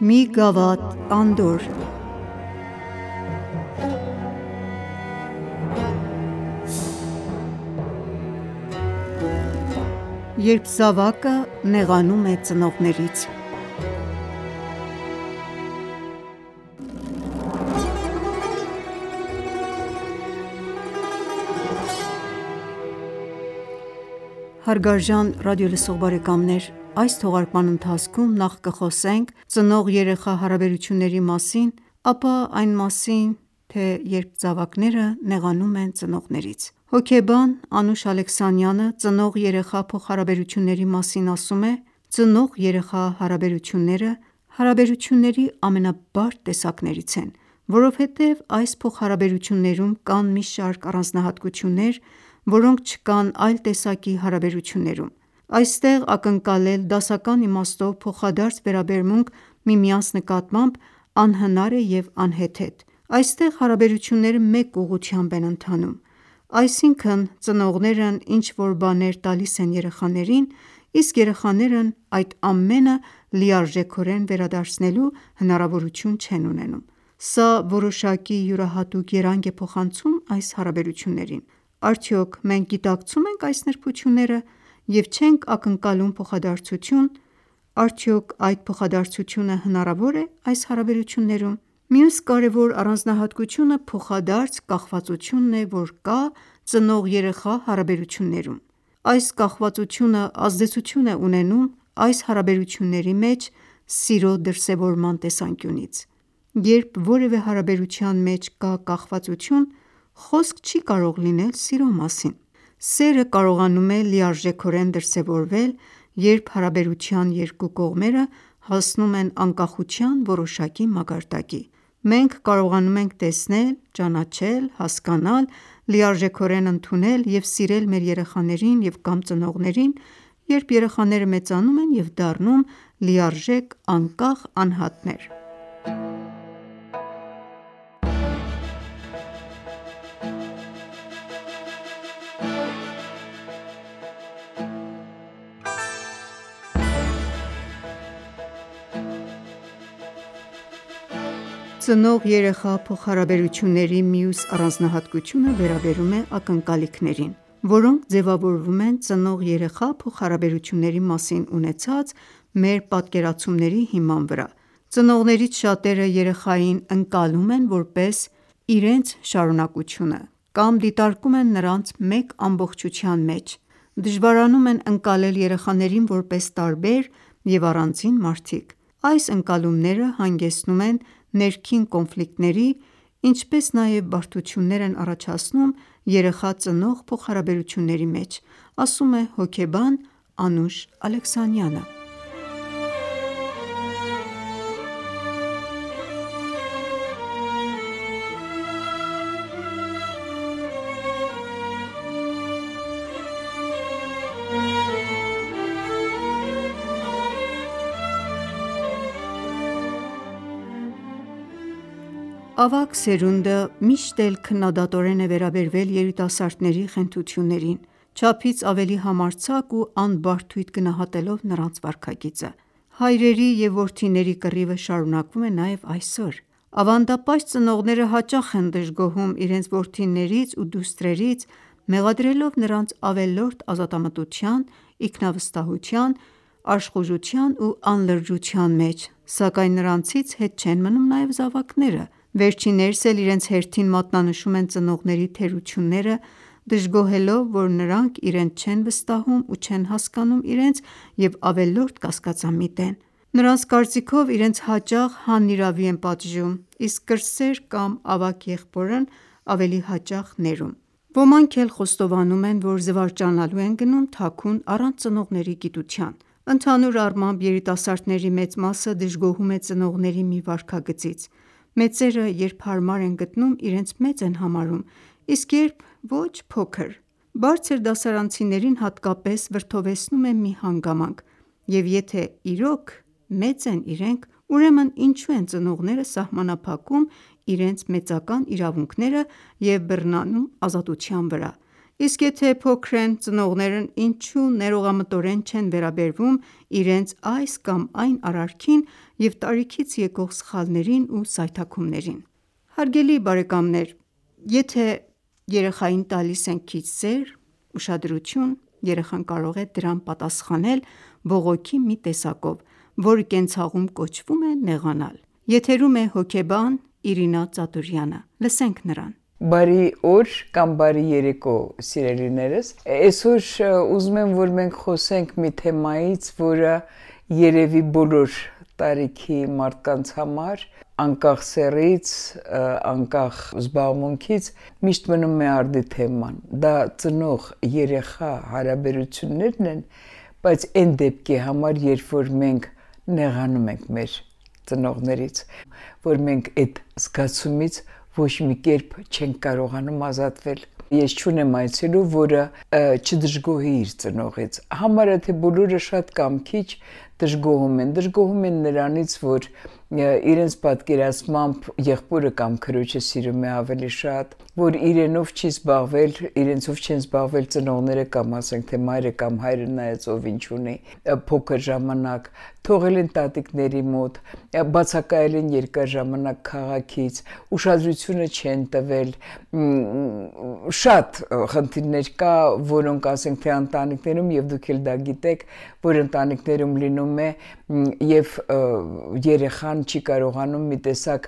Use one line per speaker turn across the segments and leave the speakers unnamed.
Մի գավաթ անդորր Երբ զավակը նեղանում է ծնողներից։ Հարգարժան ռադիոլսող բարեկամներ, այս թողարկման ընթացքում նախ կխոսենք ծնող-երեխա հարաբերությունների մասին, ապա այն մասին, թե երբ զավակները նեղանում են ծնողներից։ Հոգեբան Անուշ Ալեքսանյանը ծնող-երեխա փոխհարաբերությունների մասին ասում է. «Ծնող-երեխա հարաբերությունները հարաբերությունների ամենաբարդ տեսակներից են, որովհետև այս փոխհարաբերություններում կան մի շարք առանձնահատկություններ, որոնք չկան այլ տեսակի հարաբերություններում: Այստեղ ակնկալել դասական իմաստով փոխադարձ վերաբերմունք միմյանց նկատմամբ անհնար է և անհեթեթ: Այստեղ հարաբերությունները մեկ ուղղությամբ են ընթանում, այսինքն ծնողներն ինչ-որ բաներ տալիս են երեխաներին, իսկ երեխաներն այդ ամենը լիարժեքորեն վերադարձնելու հնարավորություն չեն ունենում: Սա որոշակի յուրահատուկ երանգ է փոխանցում այս հարաբերություններին: Արդյոք մենք գիտակցում ենք այս նրբությունները և չենք ակնկալում փոխադարձություն: Արդյոք այդ փոխադարձությունը հնարավո՞ր է այս հարաբերություններում: Մյուս կարևոր առանձնահատկությունը փոխադարձ կախվածությունն է, որ կա ծնող-երեխա հարաբերություններում: Այս կախվածությունը ազդեցություն է ունենում այս հարաբերությունների մեջ սիրո դրսևորման տեսանկյունից: Երբ որևէ հարաբերության մեջ կա կախվածություն, խոսք չի կարող լինել սիրո մասին: Սերը կարողանում է լիարժեքորեն դրսևորվել, երբ հարաբերության երկու կողմերը հասնում են անկախության որոշակի մակարդակի: Մենք կարողանում ենք տեսնել, ճանաչել, հասկանալ, լիարժեքորեն ընդունել և սիրել մեր երեխաներին կամ ծնողներին, երբ երեխաները մեծանում են և դառնում լիարժեք անկախ անհատներ: Ծնող-երեխա փոխհարաբերությունների մյուս առանձնահատկությունը վերաբերում է ակնկալիքներին, որոնք ձևավորվում են ծնող-երեխա փոխհարաբերությունների մասին ունեցած մեր պատկերացումների հիման վրա: Ծնողներից շատերը երեխային ընկալում են որպես իրենց շարունակությունը կամ դիտարկում են նրանց մեկ ամբողջության մեջ: Դժվարանում են ընկալել երեխաներին որպես տարբեր և առանձին մարդիկ: Այս ընկալումները հանգեցնում են ներքին կոնֆլիկտների, ինչպես նաև բարդություններ են առաջացնում երեխա-ծնող փոխհարաբերությունների մեջ, ասում է հոգեբան Անուշ Ալեքսանյանը: Ավագ սերունդը միշտ էլ քննադատորեն է վերաբերվել երիտասարդների խենթություններին, չափից ավելի համարձակ ու անբարդույթ գնահատելով նրանց վարքագիծը: Հայրերի և որդիների կռիվը շարունակվում է նաև այսօր: Ավանդապաշտ ծնողները հաճախ են դժգոհում իրենց որդիներից ու դուստրերից, մեղադրելով նրանց ավելորդ ազատամտության, ինքնավստահության, աշխուժության ու անլրջության մեջ, սակայն նրանցից հետ չեն մնում նաև զավակները: Վերջիններս էլ իրենց հերթին մատնանշում են ծնողների թերությունները, դժգոհելով, որ նրանք իրենց չեն վստահում ու չեն հասկանում իրենց և ավելորդ կասկածամիտ են: Նրանց կարծիքով իրենց հաճախ հանիրավի են պատժում, իսկ կրտսեր կամ ավագ եղբորն ավելի հաճախ ներում: Ոմանք էլ խոստովանում են, որ զվարճանալու են գնում թաքուն առանց ծնողների գիտության: Ընդհանուր առմամբ երիտասարդների մեծ մասը դժգոհում է ծնողների մի վարքագծից: Մեծերը երբ հարմար են գտնում իրենց մեծ են համարում, իսկ երբ ոչ փոքր: Բարձր դասարանցիներին հատկապես վրդովեցնում է մի հանգամանք և եթե իրոք մեծ են իրենք, ուրեմն ինչու են ծնողները սահմանափակում իրենց մեծական իրավունքները և բռնանում ազատության վրա: Իսկ եթե փոքր են, ծնողներն ինչու ներողամտորեն չեն վերաբերվում իրենց այս կամ այն արարքին և տարիքից եկող սխալներին ու սայթաքումներին: Հարգելի բարեկամներ, եթե երեխային տալիս ենք քիչ սեր, ուշադրություն, երեխան կարող է դրան պատասխանել բողոքի մի տեսակով, որը կենցաղում կոչվում է նեղանալ: Եթերում է հոգեբան Իրինա Ծատուրյանը: Լսենք նրան:
Բարի օր կամ բարի երեկո սիրելիներս: Այսօր ուզում եմ, որ մենք խոսենք մի թեմայից, որը երևի բոլոր տարիքի մարդկանց համար, անկախ սեռից, անկախ զբաղմունքից, միշտ մնում է արդի թեման: Դա ծնող-երեխա հարաբերություններն են, բայց այն դեպքի համար, երբ որ մենք նեղանում ենք մեր ծնողներից, որ մենք այդ զգացումից ոչ մի կերպ չենք կարողանում ազատվել: Ես չունեմ այցելու, որը չդժգոհի իր ծնողից: Համարյա թե բոլորը շատ կամ քիչ դժգոհում են նրանից, որ իրենց պատկերացմամբ եղբորը կամ քրոջը սիրում է ավելի շատ, որ իրենով չի զբաղվել, իրենցով չեն զբաղվել ծնողները կամ ասենք թե մայրը կամ հայրը, նայած ով ինչ ունի, փոքր ժամանակ, թողել են տատիկների մոտ, բացակայել են երկար ժամանակ քաղաքից, ուշադրությունը չեն տվել, շատ խնդիրներ կա, որոնք ասենք թե ընտանիքներում, և դուք էլ դա գիտեք, որ ընտանիքներում լինում է և երեխան չի կարողանում մի տեսակ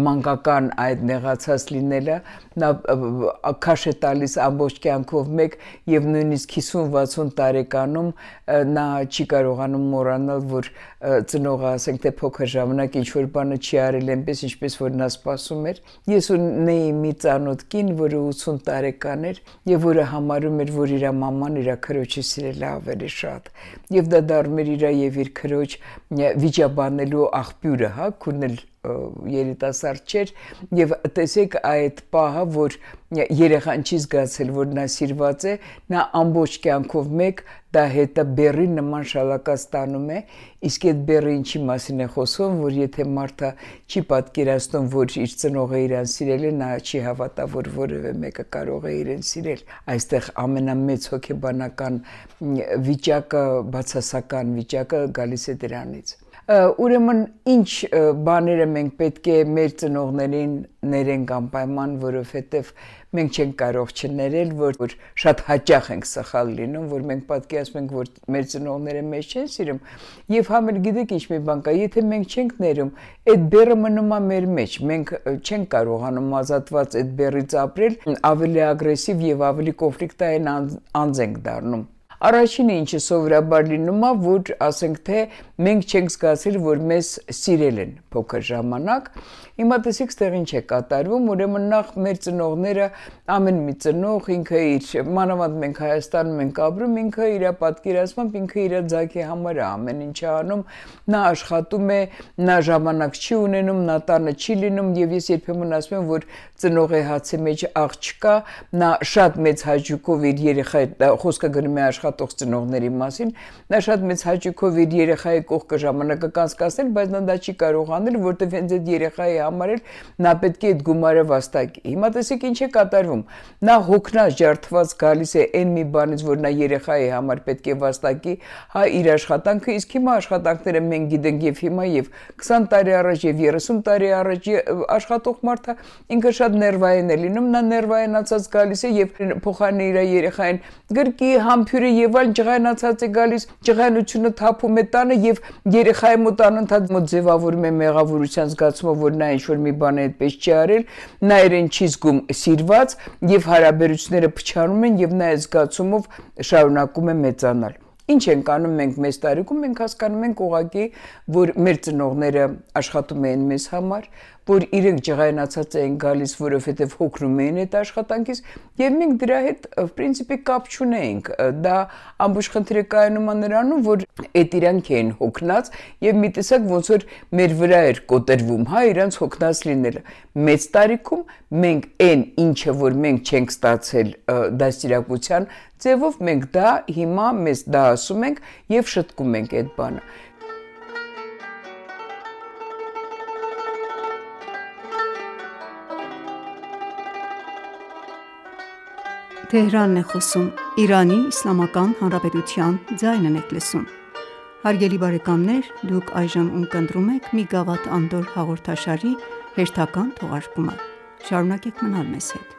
մանկական այդ նեղացած լինելը, նա քաշ է տալիս ամբողջ կյանքով մեկ և նույնիսկ 50-60 տարեկանում նա չի կարողանում մոռանալ, որ ծնողը ասենք թե փոքր ժամանակ ինչ-որ բանը չի արել այնպես, ինչպես որ նա սպասում էր: Ես ունեի մի ծանոթ կին, որը 80 տարեկան էր և որը համարում էր, որ իր մաման իր քրոջը սիրել է ավելի շատ և դա դառնում էր իր և իր քրոջ վիճաբանելու աղբյուրը, քուրն էլ երիտասարդ չէր և տեսեք այդ պահը, որ երեխան չի զգացել, որ նա սիրված է, նա ամբողջ կյանքով մեկ դա հետը բեռի նման շալակած տանում է, իսկ այդ բեռը ինչի մասին է խոսում, որ եթե մարդը չի պատկերացնում, որ իր ծնողը իրան սիրել է, նա չի հավատա, որ որևէ մեկը կարող է իրեն սիրել: Այստեղ ամենամեծ հոգեբանական վիճակը, բացասական վիճակը գալիս է դրանից: Ուրեմն ինչ բաները մենք պետք է մեր ծնողներին ներենք անպայման, որովհետև մենք չենք կարող չներել, որ շատ հաճախ ենք սխալ լինում, որ մենք պատկերացնում ենք, որ մեր ծնողները մեզ չեն սիրում և համ էլ գիտեք ինչ մի բան կա, եթե մենք չենք ներում, այդ բեռը մնում է մեր մեջ, մենք չենք կարողանում ազատված այդ բեռից ապրել, ավելի ագրեսիվ և ավելի կոնֆլիկտային անձ ենք դառնում: Առաջինը ինչը սովորաբար լինում է, որ ասենք թե մենք չենք զգացել, որ մեզ սիրել են փոքր ժամանակ: Հիմա տեսեք ստեղ ինչ է կատարվում, ուրեմն նախ մեր ծնողները, ամեն մի ծնող ինքը իր, մանավանդ մենք Հայաստանում ենք ապրում, ինքը իր պատկերացմամբ, ինքը իր ձագի համար է ամեն ինչ անում, նա աշխատում է, նա ժամանակ չի ունենում, նա տանը չի լինում և ես երբեմն ասում եմ, որ ծնողի հացի մեջ աղ չկա, նա շատ մեծ հաճույքով իր երեխայի, խոսքը գնում է աշխատող ծնողների մասին, նա շատ մեծ հաճույքով իր երեխայի կողքը ժամանակը կանցկացնել, բայց նա դա չի կարող անել, որտև հենց այդ երեխայի համար էլ նա պետք է այդ գումարը վաստակի: Հիմա տեսեք ինչ է կատարվում, նա հոգնած, ջարդված գալիս է այն մի բանից, որ նա երեխայի համար պետք է վաստակի իր աշխատանքը, իսկ հիմա աշխատանքները մենք գիտենք և հիմա և 20 տարի առաջ և 30 տարի առաջ աշխատող մարդը ինքը շատ ներվային է լինում, նա ներվայնացած գալիս է և փոխարենը իր երեխային գրկի, համբուրի և այլն, ջղայնացած է գալիս, ջղայնությունը թափում է տանը և երեխայի մոտ անընդհատ ձևավորում է մեղավորության զգացումը, որ նա ինչ-որ մի բան այդպես չի արել, նա իրեն չի զգում սիրված և հարաբերությունները փչանում են և նա այդ զգացումով շարունակում է մեծանալ: Ինչ ենք անում մենք մեծ տարիքում, մենք հասկանում ենք ուղղակի, որ մեր ծնողները աշխատում էին մեզ համար, որ իրենք ջղայնացած էին գալիս, որովհետև հոգնում էին այդ աշխատանքից և մենք դրա հետ կապ չունեինք, դա ամբողջ խնդիրը կայանում է նրանում, որ այդ իրանք էին հոգնած և մի տեսակ ոնց որ մեր վրա էր կոտրվում, իրանց հոգնած լինելը: Մեծ տարիքում մենք այն ինչը որ մենք չենք ստացել դաստիարակության ձևով, մենք դա հիմա մեզ դա ասում ենք և շտկում ենք այդ բանը:
Թեհրանն է խոսում, Իրանի Իսլամական Հանրապետության ձայնն եք լսում։ Հարգելի բարեկամներ, դուք այժմ ունկնդրում եք «Մի գավաթ անդորր» հաղորդաշարի հերթական թողարկումը։ Շարունակեք մնալ մեզ հետ։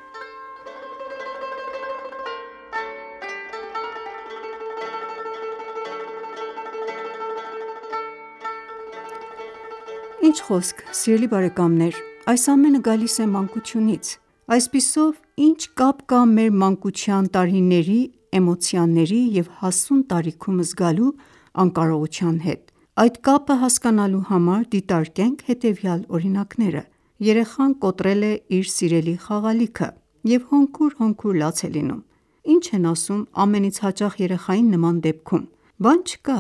Ինչ խոսք, սիրելի բարեկամներ, այս ամենը գալիս է մանկությունից։ Այսպիսով, ինչ կապ կա մեր մանկության տարիների, էմոցիաների և հասուն տարիքում զգալու անկարողության հետ։ Այդ կապը հասկանալու համար դիտարկենք հետևյալ օրինակները։ Երեխան կոտրել է իր սիրելի խաղալիքը և հոնքուր լաց է լինում։ Ինչ են ասում ամենից հաճախ երեխային նման դեպքում։ Բան չկա,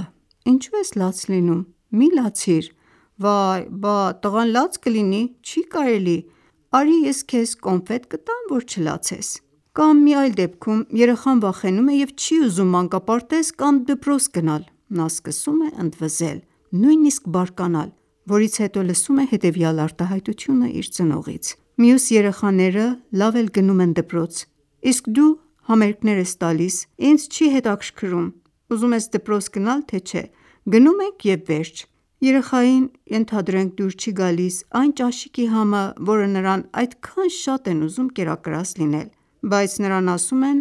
ինչու ես լաց լինում, մի լացիր, վայ, բա տղան լաց կլինի, չի կարելի, արի ես քեզ կոնֆետ կտամ, որ չլացես։ Կամ մի այլ դեպքում երեխան վախենում է և չի ուզում մանկապարտեզ կամ դպրոց գնալ, նա սկսում է ընդվզել, նույնիսկ բարկանալ, որից հետո լսում է հետևյալ արտահայտությունը իր ծնողից. Մյուս երեխաները լավ էլ գնում են դպրոց, իսկ դու համերգներ ես տալիս, ինձ չի հետաքրքրում, ուզում ես դպրոց գնալ, թե չէ, գնում ենք և վերջ։ Երեխային, ենթադրենք, դուր չի գալիս այն ճաշիկի համը, որը նրան այդքան շատ են ուզում կերակրած լինել, բայց նրան ասում են.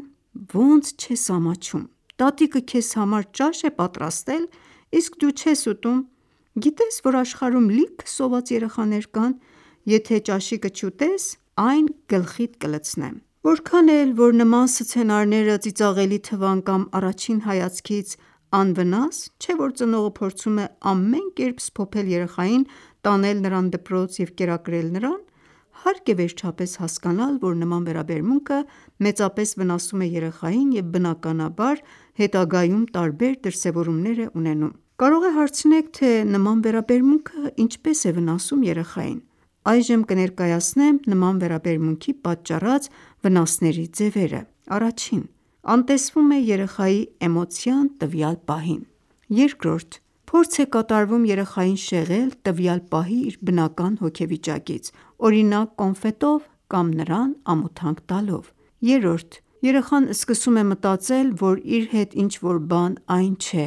ոնց չես ամաչում, տատիկը քեզ համար ճաշ է պատրաստել, իսկ դու չես ուտում, գիտես, որ աշխարհում լիքը սոված երեխաներ կան, եթե ճաշիկը չուտես, այն գլխիդ կլցնեմ։ Որքան էլ որ նման սցենարները ծիծաղելի թվան կամ առաջին հայացքից անվնաս, չէ որ ծնողը փորձում է ամեն կերպ սփոփել երեխային, տանել նրան դպրոց և կերակրել նրան, հարկ է վերջապես հասկանալ, որ նման վերաբերմունքը մեծապես վնասում է երեխային և բնականաբար հետագայում տարբեր դրսևորումներ է ունենում։ Կարող է հարցնեք, թե նման վերաբերմունքը ինչպես է վնասում երեխային։ Այժմ կներկայացնեմ նման վերաբերմունքի պատճառած վնասների ձևերը։ Առաջին՝ անտեսվում է երեխայի էմոցիան տվյալ պահին։ Երկրորդ՝ փորձ է կատարվում երեխային շեղել տվյալ պահի իր բնական հոգեվիճակից, օրինակ կոնֆետով կամ նրան ամոթանք տալով։ Երրորդ՝ երեխան սկսում է մտածել, որ իր հետ ինչ-որ բան այն չէ,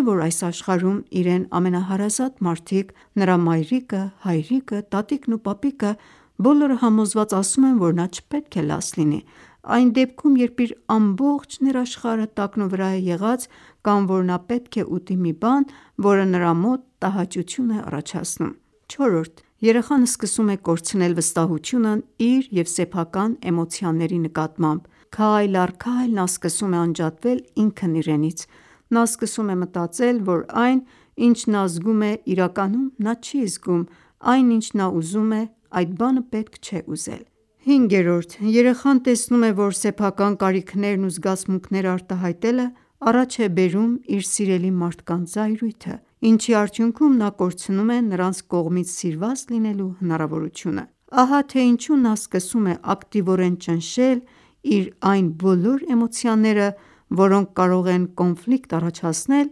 որ այս աշխարհում իրեն ամենահարազատ մարդիկ, նրա մայրիկը, հայրիկը, տատիկն ու պապիկը բոլորը համոզված ասում են, որ նա չպետք է լաց լինի, այն դեպքում, երբ իր ամբողջ ներաշխարհը տակնուվրա է եղած, կամ որ նա պետք է ուտի մի բան, որը նրա մոտ տհաճություն է առաջացնում։ Չորրորդ՝ երեխան սկսում է կորցնել վստահությունն իր և սեփական էմոցիաների նկատմամբ, քայլ առ քայլ նա սկսում է անջատվել ինքն իրենից, նա սկսում է մտածել, որ այն, ինչ նա զգում է, իրականում նա չի զգում, այն ինչ նա ուզում է, այդ բանը պետք չէ ուզել։ Հինգերորդ՝ երեխան տեսնում է, որ սեփական կարիքներն ու զգացմունքները արտահայտելը առաջ է բերում իր սիրելի մարդկանց զայրույթը, ինչի արդյունքում նա կորցնում է նրանց կողմից սիրված լինելու հնարավորությունը։ Ահա թե ինչու նա սկսում է ակտիվորեն ճնշել իր այն բոլոր էմոցիաները, որոնք կարող են կոնֆլիկտ առաջացնել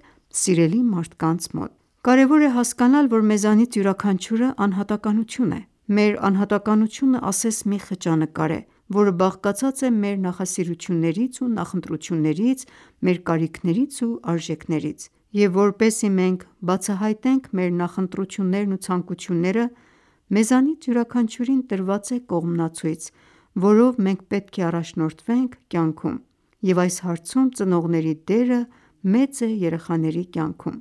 սիրելի մարդկանց մոտ։ Կարևոր է հասկանալ, որ մեզանից յուրաքանչյուրը անհատականություն է։ Մեր անհատականությունը ասես մի խճանկար է, որը բաղկացած է մեր նախասիրություններից ու նախընտրություններից, մեր կարիքներից ու արժեքներից, և որպեսզի մենք բացահայտենք մեր նախընտրություններն ու ցանկությունները, մեզանից յուրաքանչյուրին տրված է կողմնացույց, որով մենք պետք է առաջնորդվենք կյանքում, և այս հարցում ծնողների դերը մեծ է երեխաների կյանքում։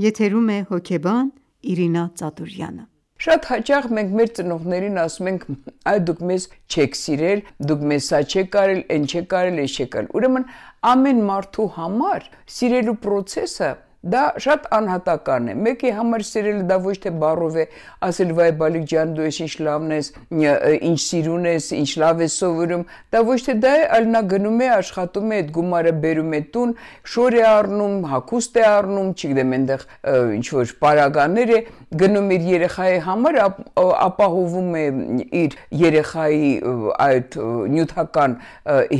Եթերում է հոգեբան Իրինա Ծատուրյանը։
Շատ հաճախ մենք մեր ծնողներին ասում ենք, այ դուք մեզ չեք սիրել, դուք մեզ սա չեք արել, այն չեք արել, այս չեք արել։ Ուրեմն ամեն մարդու համար սիրելու process-ը դա շատ անհատական է։ Մեկի համար սիրելը դա ոչ թե բառով է ասել վայ բալիկ ջան դու ինչ լավն ես, ինչ սիրուն ես, ինչ լավ ես սովորում, դա ոչ թե դա է, այլ նա գնում է աշխատում է, այդ գումարը բերում է տուն, շոր է առնում, հագուստ է առնում, չգիտեմ այնտեղ ինչ որ պարագաներ է գնում իր երեխայի համար, ապահովում է իր երեխայի այդ նյութական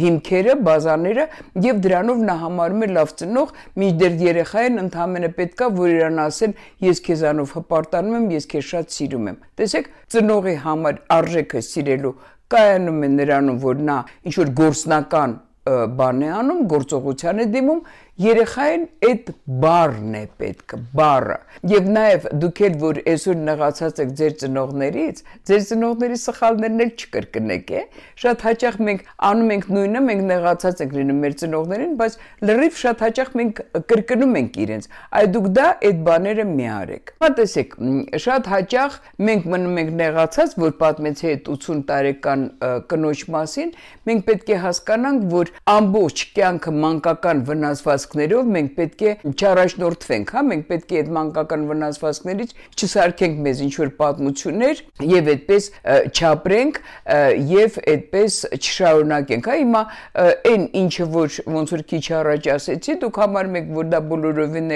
հիմքերը, բազաները եւ դրանով նա համարում է լավ ծնող, մինչդեռ երեխային ընդհանրապես պետքա որ իրան ասեն ես քեզանով հպարտանում եմ, ես քեզ շատ սիրում եմ։ Տեսեք, ծնողի համար արժեքը սիրելու կայանում է նրանում, որ նա ինչ որ գործնական բան է անում, գործողության է դիմում, երեխային այդ բառն է պետք, բառը։ Եվ նաև դուք էլ որ այսօր նեղացած եք ձեր ծնողներից սխալներն էլ չկրկնեք, շատ հաճախ մենք անում ենք նույնը, մենք նեղացած ենք լինում մեր ծնողներին, բայց լրիվ շատ հաճախ մենք կրկնում ենք իրենց։ Այ դուք դա այդ բաները մի արեք։ Հա տեսեք, շատ հաճախ մենք մնում ենք նեղացած, որ պատմեցի այդ 80 տարեկան կնոջ մասին, մենք պետք է հասկանանք, որ ամբողջ կյանքը մանկական վնասվածքներով մենք պետք է չառաջնորդվենք, հա, մենք պետք է այդ մանկական վնասվածքներից չսարքենք մեզ ինչ-որ պատմություններ եւ այդպես չապրենք եւ այդպես չշարունակենք, հա, հիմա այն ինչը որ ոնց որ քիչ առաջ ասեցի, դուք համարում եք, որ դա բոլորովին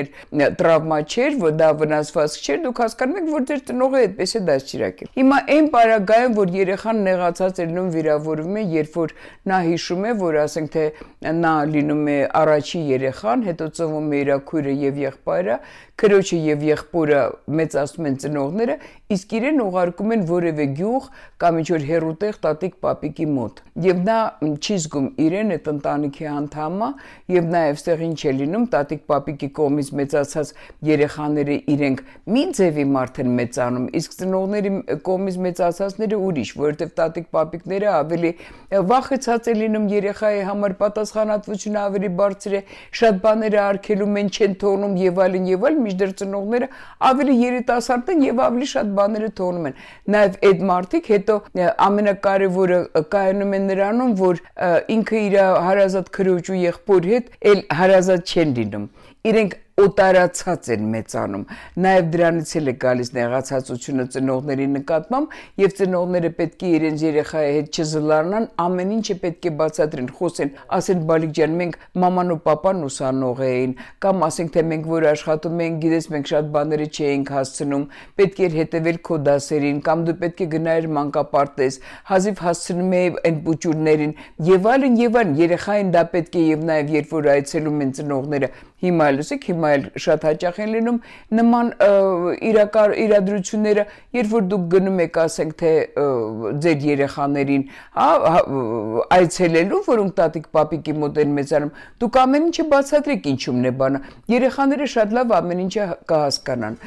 տրավմա չէր, որ դա վնասվածք չէր, դուք հասկանում եք, որ ձեր ծնողը այդպես է դաստիարակել։ Հիմա այն պարագայում, որ երեխան նեղացած է լինում, վիրավորվում է, երբ որ նա հիշում է, որ ասենք թե նա լինում է առաջի երեխան, հետո ծնվում է իր քույրը եւ եղբայրը, քրոջը եւ եղբորը մեծացնում են ծնողները, իսկ իրեն ուղարկում են որևէ գյուղ կամ ինչ-որ հեռուտեղ տատիկ պապիկի մոտ։ Եվ նա չի զգում իրեն այդ ընտանիքի անդամը եւ նաեւ ստեղ ինչ է լինում, տատիկ պապիկի կողմից մեծացած երեխաները իրենք մի ձևի մարդ են մեծանում, իսկ ծնողների կողմից մեծացածները ուրիշ, որովհետեւ տատիկ պապիկները ավելի վախեցած են լինում երեխայի համար, պատասխանատվությունը ավելի բարձր է, շատ բաները արգելում են, չեն թողնում եւ այլն, մինչդեռ ծնողները ավելի երիտասարդ են եւ ավելի շատ բաները թողնում են։ Նաեւ այդ մարդիկ հետո ամենակարևորը կայանում է նրանում, որ ինքը իր հարազատ քրոջ ու եղբոր հետ էլ հարազատ չեն լինում։ Իրենք օտարացած են մեծանում։ Նաև դրանից էլ է գալիս նեղացածությունը ծնողների նկատմամբ եւ ծնողները պետք է իրենց երեխայի հետ չզլանան, ամեն ինչը պետք է բացատրեն, խոսեն, ասեն բալիկ ջան, մենք մաման ու պապան ուսանող էին, կամ ասենք թե մենք որ աշխատում ենք, գիտես մենք շատ բաները չէինք հասցնում, պետք էր հետևել քո դասերին, կամ դու պետք է գնայիր մանկապարտեզ, հազիվ հասցնում էի այն բուճուրներին եւ այլն, երեխային դա պետք է եւ նաեւ երբ որ այցելում են ծնողները, հիմա լսեք, հիմա էլ շատ հաճախ են լինում նման իրադրությունները, երբ որ դուք գնում եք, ասենք թե ձեր երեխաներին, այցելելու, որոնք տատիկ պապիկի մոտ են մեծանում, դուք ամեն ինչը բացատրեք ինչումն է բանը, երեխաները շատ լավ ամեն ինչը կհասկանան։